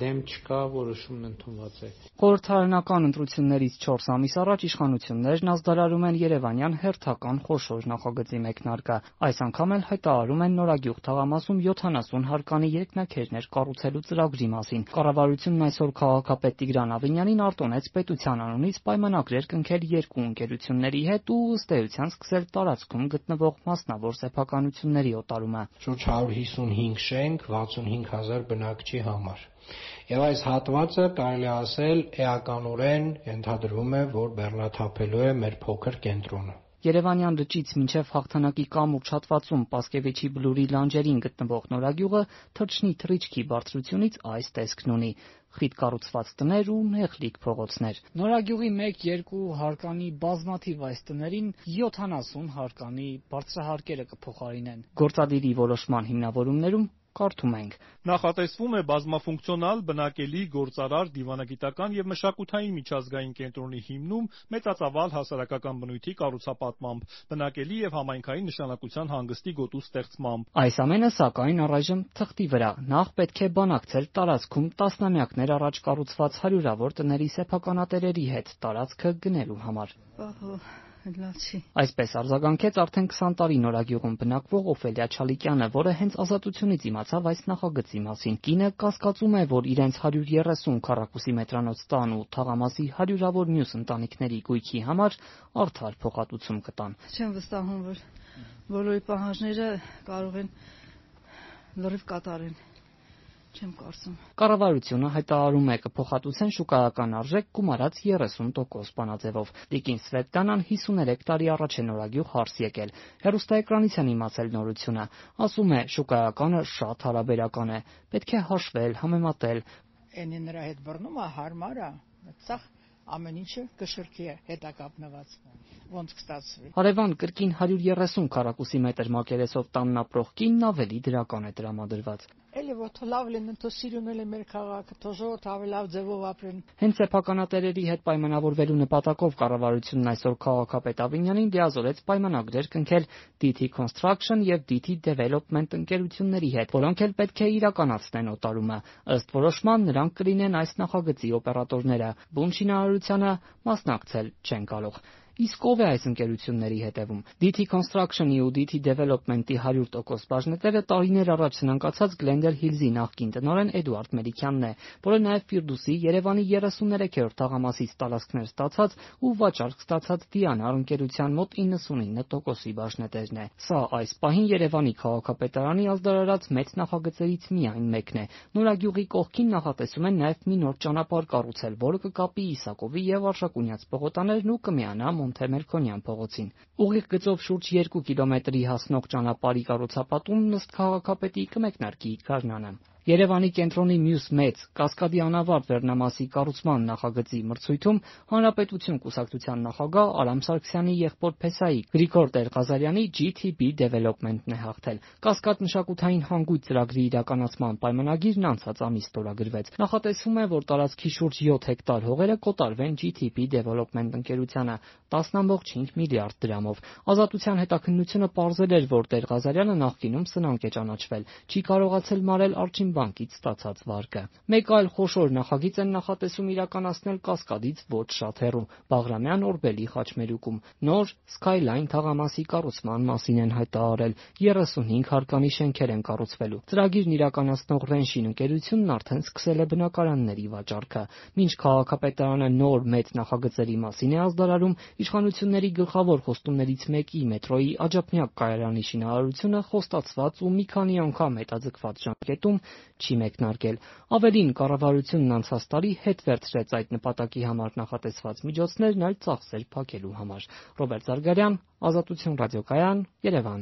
դեմ չկա, որոշումն ընդունված է։ Խորհրդարանական ընտրություններից 4 ամիս առաջ իշխանություններն ազդարարում են Երևանյան հերթական խոշոր նախագծի մեկնարկը։ Այս անգամ էլ հայտարարում են Նորագյուղ թաղամասում 70 հարկանի երկնաքերներ կառուցելու ծրագրի մասին։ Կառավարությունն այսօր քաղաքապետ Տիգրան Ավինյանին արտոնեց պետության անունից պայմանագրեր կնքել երկու ընկերությունների հետ ու ըստ էության սկսել տարածքում գտնվող մասնավոր սեփականությունների օտարումը։ Շուրջ 155 շենք 65,000 բնակչի համար։ Եվ այս հատվածը կարելի է ասել էականորեն ենթադրվում է, որ բեռնաթափելու է մեր փոքր կենտրոնը։ Երևանյան լճից մինչև Հաղթանակի կամուրջ հատվածում Պասկևիչի բլուրի լանջերին գտնվող Նորագյուղը թռչնի թռիչքի բարձրությունից այս տեսքն ունի՝ խիտ կառուցված տներ ու նեղլիկ փողոցներ։ Նորագյուղի 1-2 հարկանի բազմաթիվ այս տներին 70 հարկանի բարձրահարկերը կփոխարինեն։ Գործադիրի որոշման հիմնավորումներում կարդում ենք. Նախատեսվում է բազմաֆունկցիոնալ, բնակելի, գործարար, դիվանագիտական եւ մշակութային միջազգային կենտրոնի հիմնում մեծածավալ հասարակական բնույթի կառուցապատմամբ, բնակելի եւ համայնքային նշանակության հանգստի գոտու ստեղծմամբ։ Այս ամենը, սակայն, առայժմ թղթի վրա։ Նախ պետք է բանակցել տարածքում տասնամյակներ առաջ կառուցված հարյուրավոր տների սեփականատերերի հետ տարածքը գնելու համար։ Այսպես արձագանքեց արդեն 20 տարի Նորագյուղում բնակվող Օֆելիա Չալիկյանը, որը հենց ազատությունից իմացավ այս նախագծի մասին։ Կինը կասկածում է, որ իրենց 130 քառակուսի մետրանոց տան ու թաղամասի հարյուրավոր մյուս ընտանիքների գույքի համար արդար փոխհատուցում կտան։ Չեմ վստահում, որ բոլորի պահանջները կարող են լրիվ կատարեն։ Չեմ կարծում։ Կառավարությունը հայտարարում է կփոխհատուցեն շուկայական արժեք գումարած 30% բանաձևով։ Տիկին Սվետլանան 53 տարի առաջ է Նորագյուղ հարս եկել։ Հեռուստաէկրանից են իմացել նորությունը։ Ասում է՝ շուկայականը շատ հարաբերական է։ Պետք է հաշվել, համեմատել։ Էնի նրա հետ բռնումը հարմար է, ցախ ամեն ինչը կշռքի է հետակապնված։ Ոնց կստացվի։ Հարևան կրկին 130 քառակուսի մետր մակերեսով տանն ապրող կինն ավելի դրական է տրամադրված։ Էլի որ լավ լինեն, թո սիրունել է մեր քաղաքը, թո ժողովուրդ ավելի լավ ձևով ապրեն։ Հենց սեփականատերերի հետ պայմանավորվելու նպատակով կառավարությունն այսօր քաղաքապետ Ավինյանին դիազորեց պայմանագրեր կնքել DT Construction եւ DT Development ընկերությունների հետ, որոնք էլ պետք է իրականացնեն օտարումը։ Ըստ որոշման նրանք կլինեն այս նախագծի օպերատորները։ Բուն շինարարությանը մասնակցել չեն կարող։ Իսկ ով է այս ընկերությունների հետևում։ DT Construction-ի ու DT Development-ի 100% բաժնետերը տարիներ առաջ սնանկացած Glendale Hills-ի նախկին տնօրեն Էդուարդ Մելիքյանն է, որը նաև Ֆիրդուսի Երևանի 33-րդ թաղամասից տարածքներ ստացած ու վաճառք ստացած Դիանար ընկերության մոտ 99%-ի բաժնետերն է։ Սա այս պահին Երևանի քաղաքապետարանի ազդարարած մեծ նախագծերից միայն մեկն է։ Նորագյուղի կողքին նախատեսում են նաև մի նոր ճանապարհ կառուցել, որը կկապի Իսակովի եւ Արշակունյաց պողոտաներն ու կմիանա Մոնտե-Մերքոնյան փողոցին։ Ուղիղ գծով շուրջ 2 կիլոմետրի հասնող ճանապարհի կառուցապատումն ըստ քաղաքապետի կմեկնարկի գարնանը։ Երևանի կենտրոնի մյուս մեծ Կասկադի անավարտ վերնամասի կառուցման նախագծի մրցույթում Հանրապետություն կուսակցության նախագահ Արամ Սարգսյանի եղբոր փեսայի Գրիգոր Տեր-Ղազարյանի GTB Development-ն է հաղթել։ Կասկադ մշակութային հանգույց ծրագրի իրականացման պայմանագիրն անցած ամիս ստորագրվեց։ Նախատեսվում է, որ տարածքի շուրջ 7 հեկտար հողերը կոտարվեն GTB Development ընկերությանը 10.5 միլիարդ դրամով։ Ազատության հետաքննությունը պարզել էր, որ Տեր-Ղազարյանը նախկինում սնանկ է ճանաչվել, չի կարողացել մարել Արջին բանկից ստացած վարկը։ Մեկ այլ խոշոր նախագիծ են նախատեսում իրականացնել Կասկադից ոչ շատ հեռու Բաղրամյան Օրբելի խաչմերուկում։ Նոր Skyline թաղամասի կառուցման մասին են հայտարարել։ 35 հարկանի շենքեր են կառուցվելու։ Ծրագիրն իրականացնող Ռենշին ընկերությունն արդեն սկսել է բնակարանների վաճառքը։ Մինչ քաղաքապետարանը նոր մեծ նախագծերի մասին է ազդարարում, իշխանությունների գլխավոր խոստումներից մեկի մետրոյի Աջափնյակ կայարանի շինարարությունը խոստացված ու մի քանի անգամ հետաձգված ժամկետում չի մեկնարկել։ Ավելին, կառավարությունն անցած տարի հետ վերցրեց այդ նպատակի համար նախատեսված միջոցներն այլ ծախսեր փակելու համար։ Ռոբերտ Զարգարյան, Ազատություն ռադիոկայան, Երևան։